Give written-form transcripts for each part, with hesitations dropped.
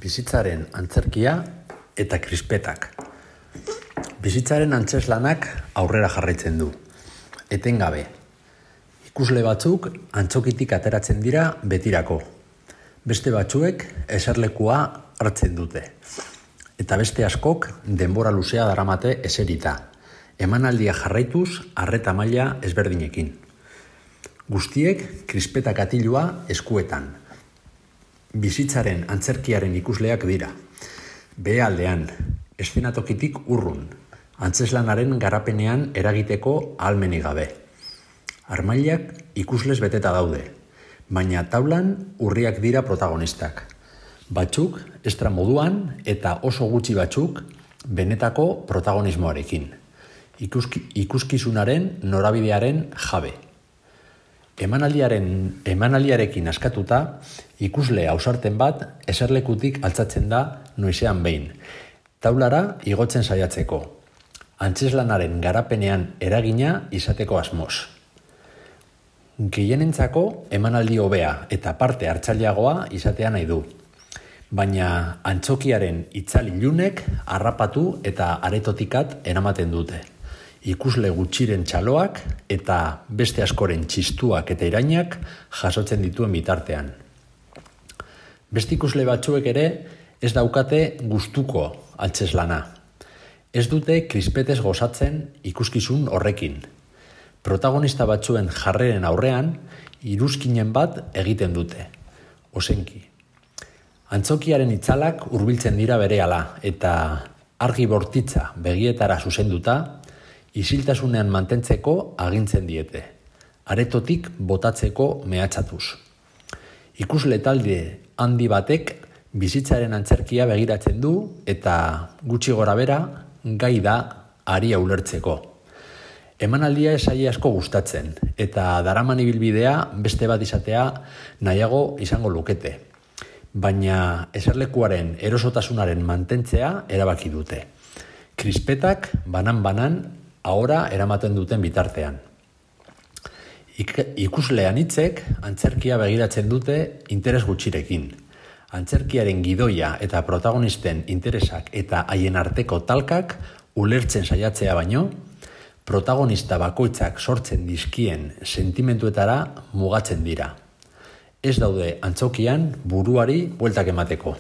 Bizitzaren antzerkia eta krispetak. Bizitzaren antzeslanak aurrera jarraitzen du. Etengabe. Ikusle batzuk antzokitik ateratzen dira betirako. Beste batzuek eserlekua hartzen dute. Eta beste askok denbora luzea daramate eserita. Emanaldia jarraituz arreta maila ezberdinekin. Guztiek krispetak atilua eskuetan. Bizitzaren antzerkiaren ikusleak dira. Behealdean, eszenatokitik urrun, antzeslanaren garapenean eragiteko ahalmenik gabe. Armailak ikusles beteta daude, baina taulan urriak dira protagonistak. Batzuk estra moduan eta oso gutxi batzuk benetako protagonismoarekin. Ikuskizunaren norabidearen jabe. Emanaldiarekin askatuta, ikusle ausarten bat eserlekutik altzatzen da noizean behin, taulara igotzen saiatzeko, antzeslanaren garapenean eragina izateko asmoz. Gehienentzako emanaldi hobea eta parte hartzaileagoa izatea nahi du, baina antzokiaren itzal ilunek harrapatu eta aretotikat eramaten dute. Ikusle gutxiren txaloak eta beste askoren txistuak eta irainak jasotzen dituen bitartean. Beste ikusle batzuek ere ez daukate gustuko antzeslana. Ez dute krispetez gozatzen ikuskizun horrekin. Protagonista batzuen jarreren aurrean iruzkinen bat egiten dute. Ozenki. Antzokiaren itzalak hurbiltzen dira berehala eta argi bortitza begietara zuzenduta, isiltasunean mantentzeko agintzen diete, aretotik botatzeko mehatxatuz. Ikusle talde handi batek bizitzaren antzerkia begiratzen du eta gutxi gorabehera gai da aria ulertzeko. Emanaldia esaile asko gustatzen eta daraman ibilbidea beste bat izatea nahiago izango lukete, baina eserlekuaren erosotasunaren mantentzea erabaki dute. Krispetak banan-banan ahora eramaten duten bitartean. Ikuslean hitzek antzerkia begiratzen dute interes gutxirekin. Antzerkiaren gidoia eta protagonisten interesak eta haien arteko talkak ulertzen saiatzea baino, protagonista bakoitzak sortzen dizkien sentimentuetara mugatzen dira. Ez daude antzokian buruari bueltak emateko.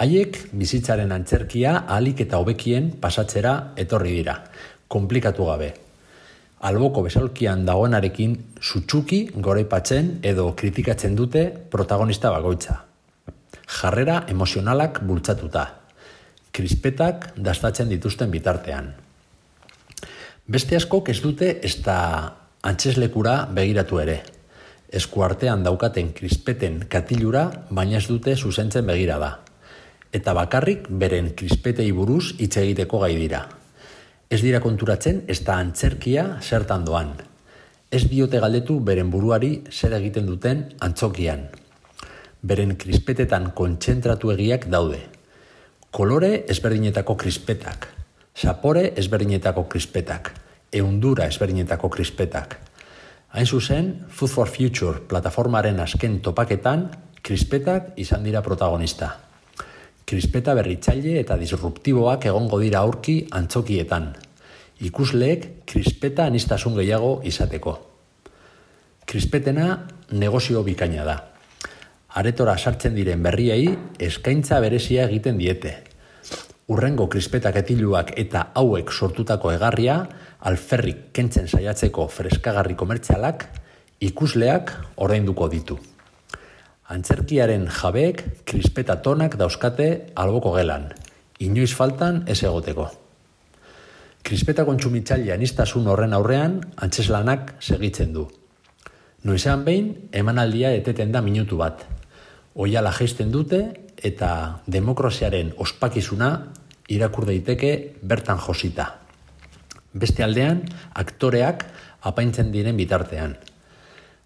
Haiek bizitzaren antzerkia ahalik eta hobekien pasatzera etorri dira, konplikatu gabe. Alboko besaulkian dagoenarekin sutsuki goraipatzen edo kritikatzen dute protagonista bakoitza. Jarrera emozionalak bultzatuta. Krispetak dastatzen dituzten bitartean. Beste askok ez dute ezta antzeslekura begiratu ere. Eskuartean daukaten krispeten katilura baina ez dute zuzentzen begirada. Eta bakarrik beren krispetei buruz hitz egiteko gai dira. Ez dira konturatzen ezta antzerkia zertan doan. Ez diote galdetu beren buruari zer egiten duten antzokian. Beren krispetetan kontzentratu egiak daude. Kolore ezberdinetako krispetak, sapore ezberdinetako krispetak, ehundura ezberdinetako krispetak. Hain zuzen, Food for Future plataformaren azken topaketan krispetak izan dira protagonista. Krispeta berritzaile eta disruptiboak egongo dira aurki antzokietan. Ikusleek krispeta aniztasun gehiago izateko. Krispetena negozio bikaina da. Aretora sartzen diren berriei eskaintza berezia egiten diete. Hurrengo krispetak etiluak eta hauek sortutako egarria alferrik kentzen saiatzeko freskagarri komertzialak ikusleak ordainduko ditu. Antzerkiaren jabeek krispeta tonak dauzkate alboko gelan, inoiz faltan ez egoteko. Krispeta kontsumitzaile aniztasun horren aurrean antzeslanak segitzen du. Noizean behin emanaldia eteten da minutu bat. Oihala jaisten dute eta demokraziaren ospakizuna irakur daiteke bertan josita. Beste aldean, aktoreak apaintzen diren bitartean.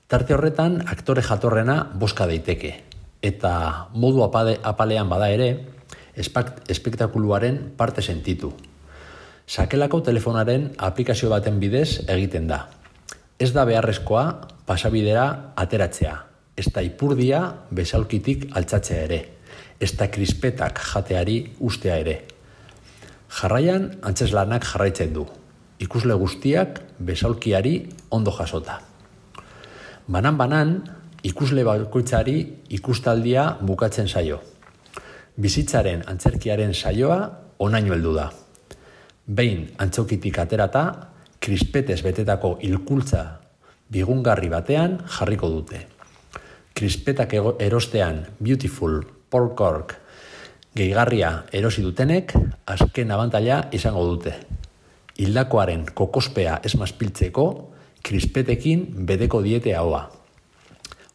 Tarte horretan, aktore jatorrena boska daiteke, eta modu apalean bada ere, espektakuluaren parte sentitu. Sakelako telefonaren aplikazio baten bidez egiten da. Ez da beharrezkoa pasabidera ateratzea, ezta ipurdia besaulkitik altzatzea ere. ezta krispetak jateari ustea ere. Jarraian, antzeslanak jarraitzen du. Ikusle guztiak besaulkiari ondo jasota. Banan-banan, ikusle bakoitzari ikustaldia bukatzen zaio. Bizitzaren antzerkiaren saioa onaino heldu da. Behin antzokitik aterata, krispetez betetako hilkultza bigungarri batean jarriko dute. Krispetak erostean Beautiful Pork gehigarria erosi dutenek azken abantaila izango dute. Hildakoaren kokospea ez mazpiltzeko krispetekin bedeko diete ahoa.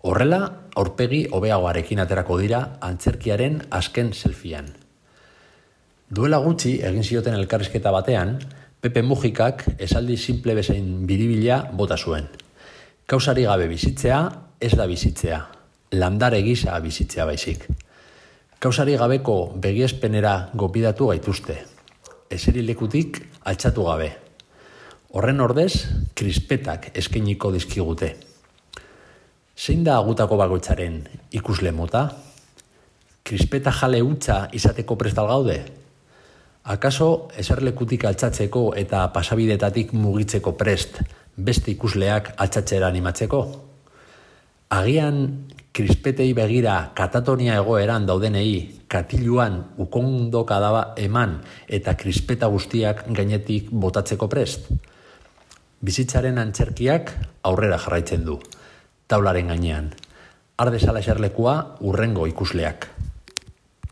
Horrela, aurpegi hobeagoarekin aterako dira antzerkiaren azken selfiean. Duela gutxi egin zioten elkarrizketa batean, Pepe Mujikak esaldi simple bezain biribila bota zuen. Kausari gabe bizitzea ez da bizitzea, landare gisa bizitzea baizik. Kausari gabeko begiespenera gopidatu gaituzte, eserilekutik altxatu gabe. Horren ordez, krispetak eskainiko dizkigute. Zein da gutako bakoitzaren ikusle mota? Krispeta jale hutsa izateko prestal gaude? Akaso eserlekutik altxatzeko eta pasabidetatik mugitzeko prest beste ikusleak altxatzera animatzeko? Agian krispetei begira katatonia egoeran daudenei katiluan ukondoka daba eman eta krispeta guztiak gainetik botatzeko prest? Bizitzaren antzerkiak aurrera jarraitzen du, taularen gainean. Har dezala eserlekua hurrengo ikusleak.